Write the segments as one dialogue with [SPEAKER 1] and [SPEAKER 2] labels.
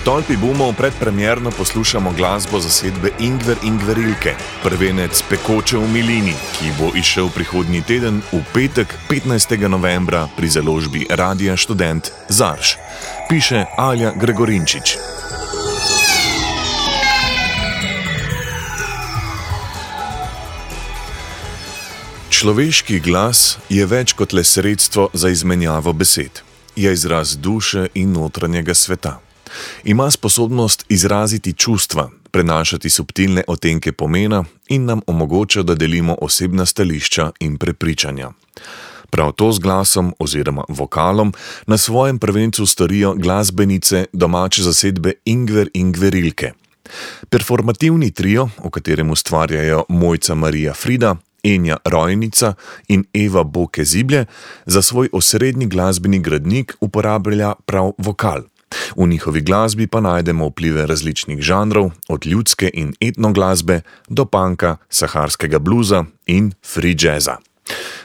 [SPEAKER 1] Tolpi bumov predpremierno poslušamo glasbo zasedbe Ingver Ingverilke, prvenec Pekoče v milini, ki bo izšel prihodnji teden v petek 15. novembra pri založbi Radia Študent Zarš. Piše Alja Gregorinčič. Človeški glas je več kot le sredstvo za izmenjavo besed. Je izraz duše in notranjega sveta. Ima sposobnost izraziti čustva, prenašati subtilne odtenke pomena in nam omogoča, da delimo osebna stališča in prepričanja. Prav to z glasom oziroma vokalom na svojem prvencu storijo glasbenice domače zasedbe Ingver Ingverilke. Performativni trio, v katerem ustvarjajo Mojca Marija Frida, Enja Rojnica in Eva Boke Ziblje, za svoj osrednji glasbeni gradnik uporablja prav vokal. V njihovi glasbi pa najdemo vplive različnih žanrov, od ljudske in etno glasbe do punka, saharskega bluza in free jazza.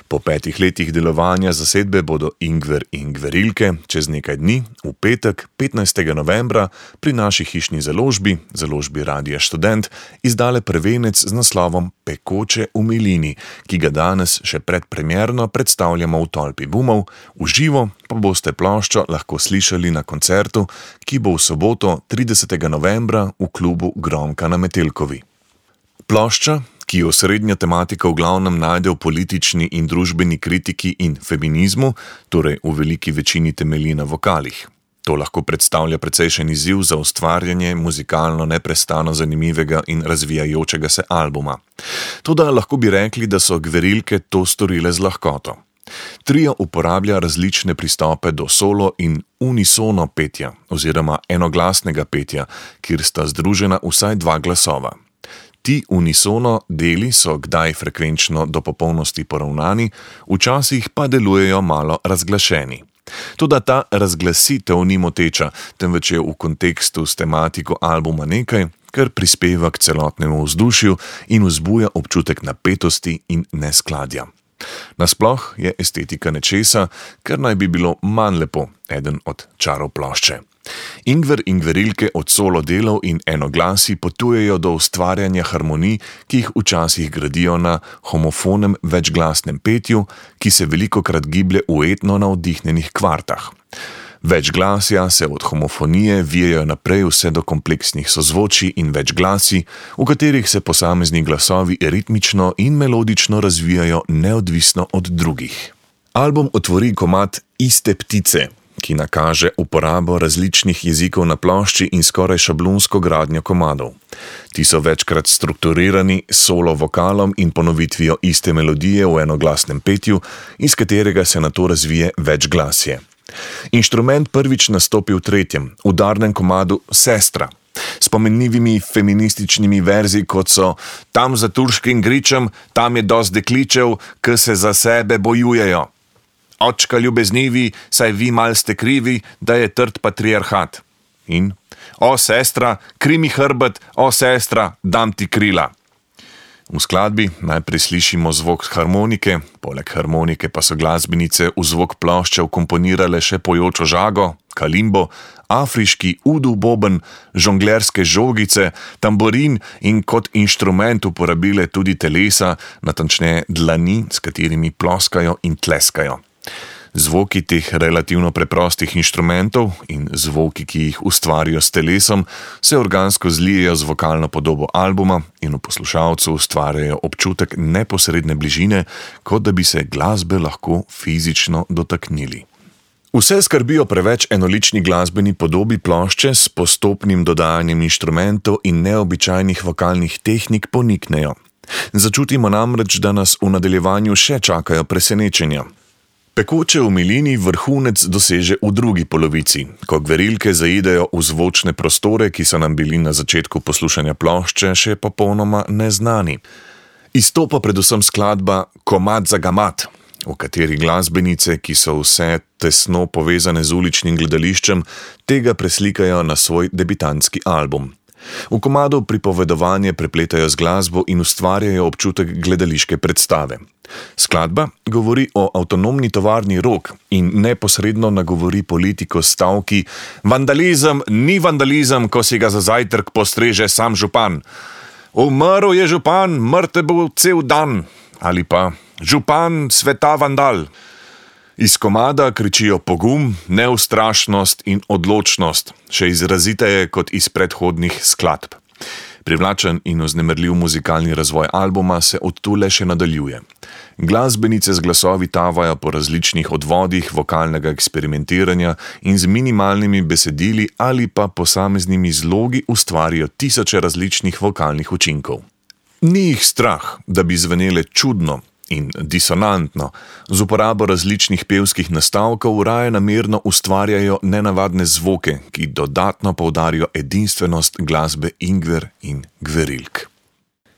[SPEAKER 1] Po 5 letih delovanja zasedbe bodo Ingver Ingverilke čez nekaj dni, v petek 15. novembra, pri naši hišni založbi Radia Študent, izdale prvenec z naslovom Pekoče v milini, ki ga danes še predpremierno predstavljamo v Tolpi bumov, v živo pa boste ploščo lahko slišali na koncertu, ki bo v soboto 30. novembra v klubu Gromka na Metelkovi. Plošča, ki osrednja tematika v glavnem najde v politični in družbeni kritiki in feminizmu, torej v veliki večini temelji na vokalih. To lahko predstavlja precejšen izziv za ustvarjanje muzikalno neprestano zanimivega in razvijajočega se albuma. Toda lahko bi rekli, da so Gverilke to storile z lahkoto. Trio uporablja različne pristope do solo in unisono petja oziroma enoglasnega petja, kjer sta združena vsaj 2 glasova. Ti unisono deli so kdaj frekvenčno do popolnosti poravnani, včasih pa delujejo malo razglašeni. Toda ta razglasitev ni moteča, temveč je v kontekstu s tematiko albuma nekaj, kar prispeva k celotnemu vzdušju in vzbuja občutek napetosti in neskladja. Nasploh je estetika nečesa, kar naj bi bilo manj lepo, eden od čarov plošče. Ingver Ingverilke od solo delov in enoglasi potujejo do ustvarjanja harmonij, ki jih včasih gradijo na homofonem večglasnem petju, ki se velikokrat giblje v etno navdihnjenih kvartah. Večglasja se od homofonije vijejo naprej vse do kompleksnih sozvočij in večglasi, v katerih se posamezni glasovi ritmično in melodično razvijajo neodvisno od drugih. Album otvori komad Iste ptice, ki nakaže uporabo različnih jezikov na plošči in skoraj šablonsko gradnjo komadov. Ti so večkrat strukturirani s solo vokalom in ponovitvijo iste melodije v enoglasnem petju, iz katerega se nato razvije večglasje. Inštrument prvič nastopi v 3., udarnem komadu Sestra, s pomenljivimi feminističnimi verzi, kot so Tam za turškim gričem, tam je dost dekličev, ki se za sebe bojujejo. Očka ljubeznivi, saj vi mal ste krivi, da je trd patriarhat. In O sestra, kri mi hrbet, o sestra, dam ti krila. V skladbi najprej slišimo zvok harmonike, poleg harmonike pa so glasbenice v zvok plošče vkomponirale še pojočo žago, kalimbo, afriški udu boben, žonglerske žogice, tamborin in kot inštrument uporabile tudi telesa, natančneje dlani, s katerimi ploskajo in tleskajo. Zvoki teh relativno preprostih inštrumentov in zvoki, ki jih ustvarijo s telesom, se organsko zlijejo z vokalno podobo albuma in v poslušalcu ustvarjajo občutek neposredne bližine, kot da bi se glasbe lahko fizično dotaknili. Vse skrbijo preveč enolični glasbeni podobi plošče s postopnim dodajanjem inštrumentov in neobičajnih vokalnih tehnik poniknejo. Začutimo namreč, da nas v nadaljevanju še čakajo presenečenja. Pekoče v milini vrhunec doseže v drugi polovici, ko Gverilke zaidejo v zvočne prostore, ki so nam bili na začetku poslušanja plošče še popolnoma neznani. Izstopa predvsem skladba Komad za gamat, v kateri glasbenice, ki so vse tesno povezane z uličnim gledališčem, tega preslikajo na svoj debitantski album. V komadu pripovedovanje prepletajo z glasbo in ustvarjajo občutek gledališke predstave. Skladba govori o avtonomni tovarni Rog in neposredno nagovori politiko s stavki: vandalizem ni vandalizem, ko si ga za zajtrk postreže sam župan. Umrl je župan, mrtev bo cel dan. Ali pa župan sveta vandal. Iz komada kričijo pogum, neustrašnost in odločnost, še izraziteje kot iz predhodnih skladb. Privlačen in vznemirljiv muzikalni razvoj albuma se od tu le še nadaljuje. Glasbenice z glasovi tavajo po različnih odvodih vokalnega eksperimentiranja in z minimalnimi besedili ali pa posameznimi zlogi ustvarijo tisoče različnih vokalnih učinkov. Ni jih strah, da bi zvenele čudno in disonantno, z uporabo različnih pevskih nastavkov raje namerno ustvarjajo nenavadne zvoke, ki dodatno poudarijo edinstvenost glasbe Ingver in Gverilk.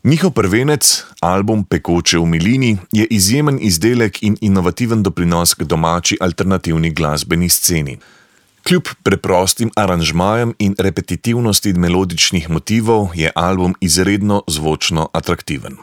[SPEAKER 1] Njihov prvenec, album Pekoče v milini, je izjemen izdelek in inovativen doprinos k domači alternativni glasbeni sceni. Kljub preprostim aranžmajem in repetitivnosti melodičnih motivov je album izredno zvočno atraktiven.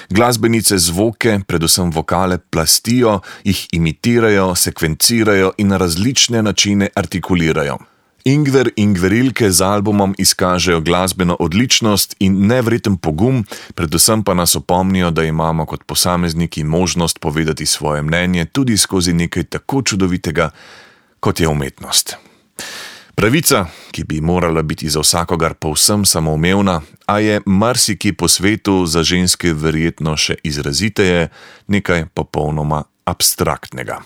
[SPEAKER 1] Glasbenice zvoke, predvsem vokale, plastijo, jih imitirajo, sekvencirajo in na različne načine artikulirajo. Ingver in Gverilke z albumom izkažejo glasbeno odličnost in nevreten pogum, predvsem pa nas opomnijo, da imamo kot posamezniki možnost povedati svoje mnenje tudi skozi nekaj tako čudovitega, kot je umetnost. Pravica, ki bi morala biti za vsakogar povsem samoumevna, a je marsikje po svetu za ženske verjetno še izraziteje, nekaj popolnoma abstraktnega.